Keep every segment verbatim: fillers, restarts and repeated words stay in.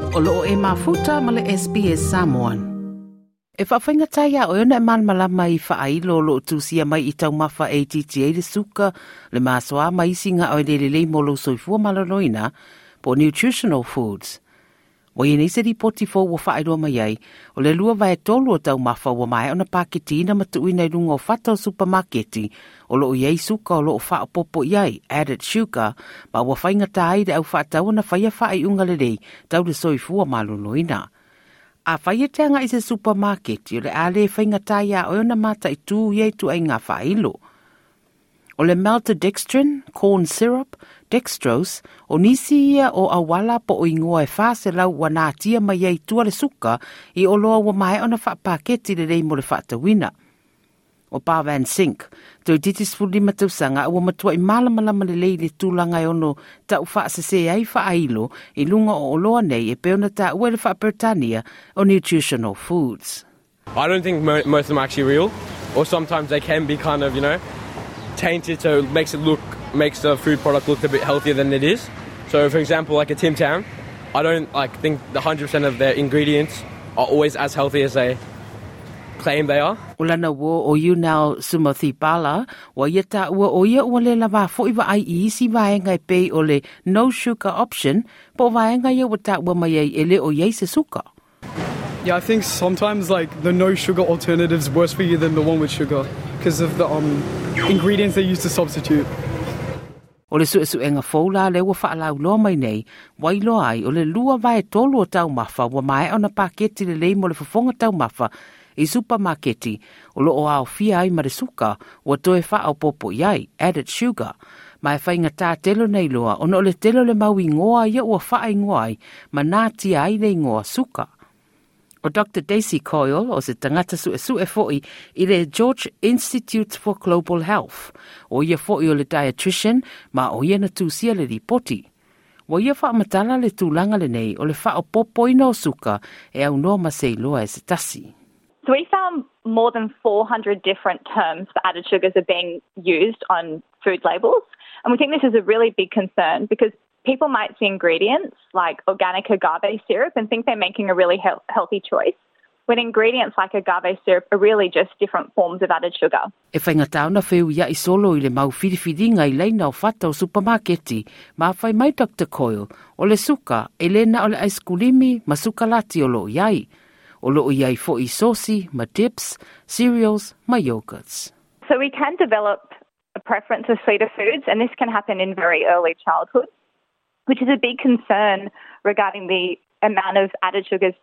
O loo e mafuta ma le S B S Samoan. E whawhainga ia o ona e malamalama i whaailo o loo tusia mai i taumafa e titi e le suka, le masoa mai isi ngā o le lelei mo lo soifua maloloina, po nutritional foods. Ua i nei se ripoti fou ua whaailoa mai ai, o le lua vae tolu o taumafa ua maea ona paketina ma tuuina i lunga o fata o supamaketi, o loo i ai suka o loo whaopopo i ai, added sugar, ma ua whaingata ai le au whaatau na whaia whaaiunga lelei tau le soifua maloloina. A whai e te anga i se supermarket, o le ale whaingata ia o ona mata i tū i tu ai ngā whailo. O le maltodextrin, corn syrup, dextrose, o nisi ia o awala po o ingoa e whase lau ua nātia mai ai tua le suka i o loa ua mae ona whaapaketi le lei mo le whaatawina. O Pa Van Sink, toi titi sefulu lima tausaga ua matua i malamalama lelei le tulaga e ono tau faasese ai faailo i luga o oloa nei e pei ona taua i le faaperetania o nutritional foods. I don't think mo- most of them are actually real, or sometimes they can be kind of, you know, tainted, so it makes it look, makes the food product look a bit healthier than it is. So, for example, like a Tim Tam, I don't like think the hundred percent of their ingredients are always as healthy as they claim they are. O lana uō o Yunal Sumathipala, ua ia taua o ia ua le lava fo'i vaai i isi vaega e pei o le no sugar option, po vaega ia ua taua mai ai e le o iai se suka. Yeah, I think sometimes, like, the no sugar alternative's worse for you than the one with sugar because of the um, ingredients they use to substitute. O le suesuega fou la le ua whaalauloa mai nei, wailoa ai o le lua vae tolu o taumafa ua maea ona paketi lelei mo le fofoga taumafa i supamaketi o loo aofia ai ma le suka ua toe faaopoopo i ai, added sugar. Ma e faigata tele nei loa ona o le tele o le mau igoa ia ua faaingoa ai ma natia ai le igoa suka. O Doctor Daisy Coyle o se tagata suesue fo'i i le George Institute for Global Health. O ia fo'i o le dietitian ma o ia na tusia le ripoti. Ua ia faamatala le tulaga lenei o le faaopoopoina o suka e aunoa ma se iloa e se tasi. So we found more than four hundred different terms for added sugars are being used on food labels. And we think this is a really big concern because people might see ingredients like organic agave syrup and think they're making a really he- healthy choice, when ingredients like agave syrup are really just different forms of added sugar. E whaingatā ona feuiai solo i le mau filifiliga i laina o fata o supamaketi, ma fai mai Doctor Coyle, o le suka e le na o le aiskulimi ma sukalati o loo iai. O loo iai fo'i sosi, ma dips, cereals, ma yogurts. So we can develop a preference of sweeter foods, and this can happen in very early childhood, which is a big concern regarding the amount of added sugars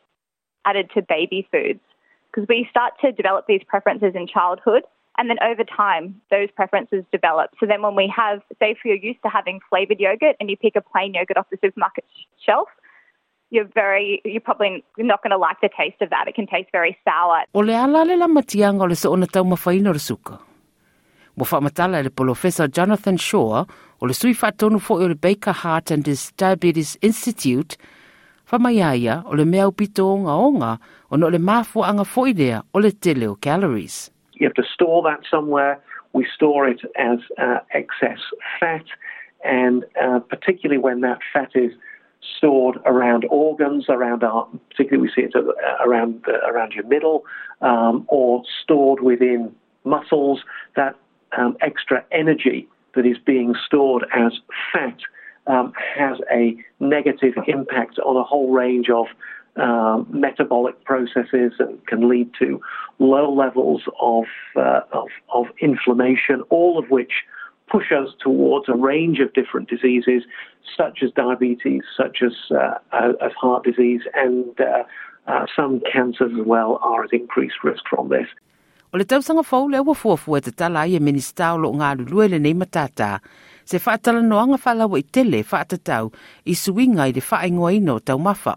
added to baby foods. Because we start to develop these preferences in childhood, and then over time, those preferences develop. So then when we have, say, if you're used to having flavoured yogurt and you pick a plain yogurt off the supermarket shelf, you're very, you're probably not going to like the taste of that. It can taste very sour. O le ala le lamatianga o le soona taumafaina o le suka. Ua faamatala e le Polofesa Jonathan Shaw, o le sui faatonu fo'i o le Baker Heart and his Diabetes Institute, fa mai aia o le mea aupito ogaoga ona o le mafuaga fo'i lea o le tele o calories. You have to store that somewhere. We store it as uh, excess fat, and uh, particularly when that fat is stored around organs, around our, particularly we see it uh, around uh, around your middle, um, or stored within muscles. That um, extra energy that is being stored as fat um, has a negative impact on a whole range of um, metabolic processes and can lead to low levels of, uh, of, of inflammation, all of which push us towards a range of different diseases, such as diabetes, such as, uh, uh, as heart disease, and uh, uh, some cancers as well are at increased risk from this. O le tausaga fou lea ua fuafua e tatala ai e Minista o loo galulue lenei matata, se faatalanoaga faalauaitele faatatau i suiga i le faaigoaina o taumafa.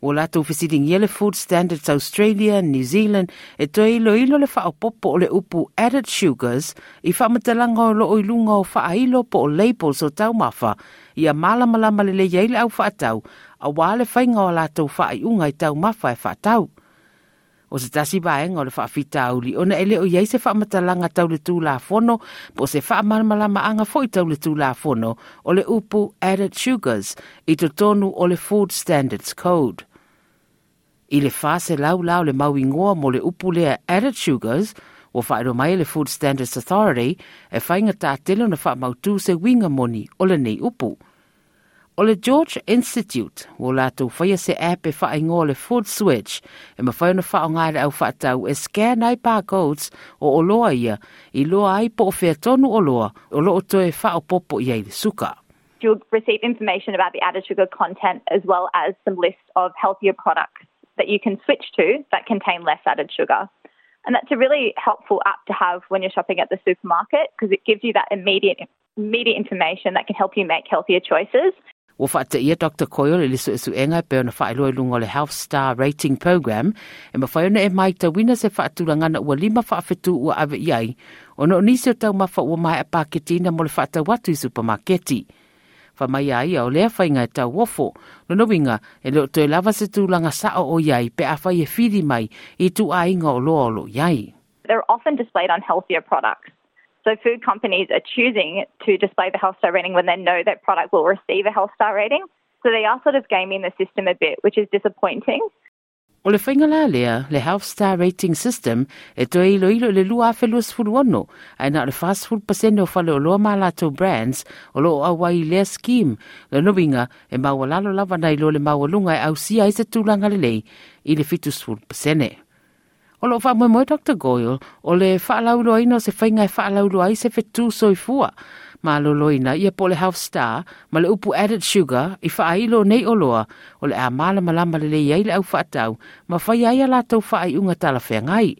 Ua latou fesiligia le Food Standards Australia and New Zealand e toe iloilo le faaopoopo o le upu added sugars i faamatalaga o loo i luga o faailo po o labels o taumafa ia malamalama lelei ai le au faatau auā le faiga o latou faaiuga i taumafa e faatau. O se tasi vaega o le faafitauli ona e le o i ai se faamatalaga tau le Tulafono po o se faamalamalamaga foi tau le Tulafono o le upu added sugars i totonu o le Food Standards Code. I le faselau la o le mauigoa mo le upu lea added sugars, ua faailoa mai le Food Standards Authority e faigatā tele ona faamautū se uiga moni o lenei upu. O le George Institute, ua latou faia se app e faaigoa le Food Switch, e mafai ona faaaoga e le aufaatau e scan ai barcodes o oloa ia, iloa ai po o fea tonu oloa o loo toe faaopoopo i ai le suka. You'll receive information about the added sugar content as well as some lists of healthier products that you can switch to that contain less added sugar. And that's a really helpful app to have when you're shopping at the supermarket because it gives you that immediate immediate information that can help you make healthier choices. Ua faateia Doctor Coyle i le suesuega e pei ona faailoa i luga o le Health Star Rating Program e mafai ona e matauina se faatulagana ua lima faafetu ua ave i ai ona o nisi o taumafa ua maea paketina mo le faatau atu i supamaketi. Faamai a ia o lea faiga e tauofo, lona uiga e le o toe lava se tulaga sao o i ai pe afai e fili mai i ituaiga oloa o loo i ai. They're often displayed on healthier products. So food companies are choosing to display the Health Star rating when they know that product will receive a Health Star rating. So they are sort of gaming the system a bit, which is disappointing. O le faiga la lea, le Health Star Rating System, e toe iloilo i le lua afe luasefulu ono, ae na o le fasefulu pasene o faleoloa ma latou brands o loo auai i lea scheme. Lona uiga e maualalo lava nai lo le maualuga e ausia ai se tulaga lelei i le fitusefulu pasene. O loo faamoemoe Doctor Goyle o le faalauiloaina o se faiga e faalauiloa ai se fetū soifua malōlōina ia po o le Health Star ma le upu added sugar i faailo nei oloa o le a malamalama lelei ai le aufaatau ma fai ai a latou faaiuga talafeagai.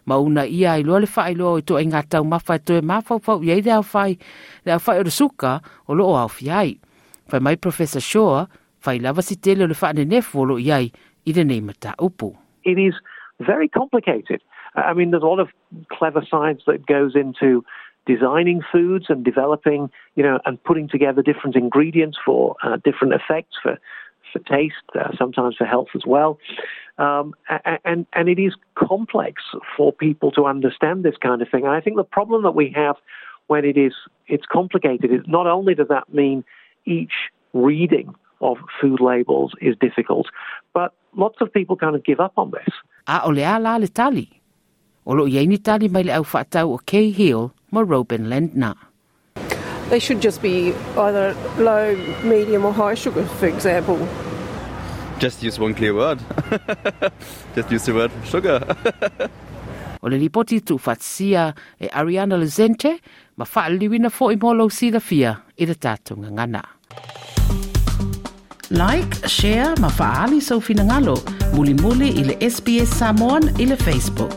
Ma una ia iloa le faailoa o ituaiga taumafa e toe mafaufau i ai le aufai, le aufai o le suka o loo aofia ai. Fai mai Professor Shaw, fai lava si tele o le faanenefu o loo i ai i lenei mataupu. It is very complicated. I mean, there's a lot of clever science that goes into designing foods and developing, you know, and putting together different ingredients for uh, different effects, for, for taste, uh, sometimes for health as well. Um, and, and it is complex for people to understand this kind of thing. And I think the problem that we have when it is it's complicated is not only does that mean each reading of food labels is difficult, but lots of people kind of give up on this. A o le a la le tali. O loo i ai ni tali mai le aufaatau o Kay Hill ma Robin Lendner. They should just be either low, medium or high sugar, for example. Just use one clear word. Just use the word sugar. O le lipoti tuufaatasia e Ariana Lezente ma faaliliuina foi mo lou silafia i le tatou gagana. Like, share ma faaali sou finagalo. Mulimuli i le S B S Samoan i le Facebook.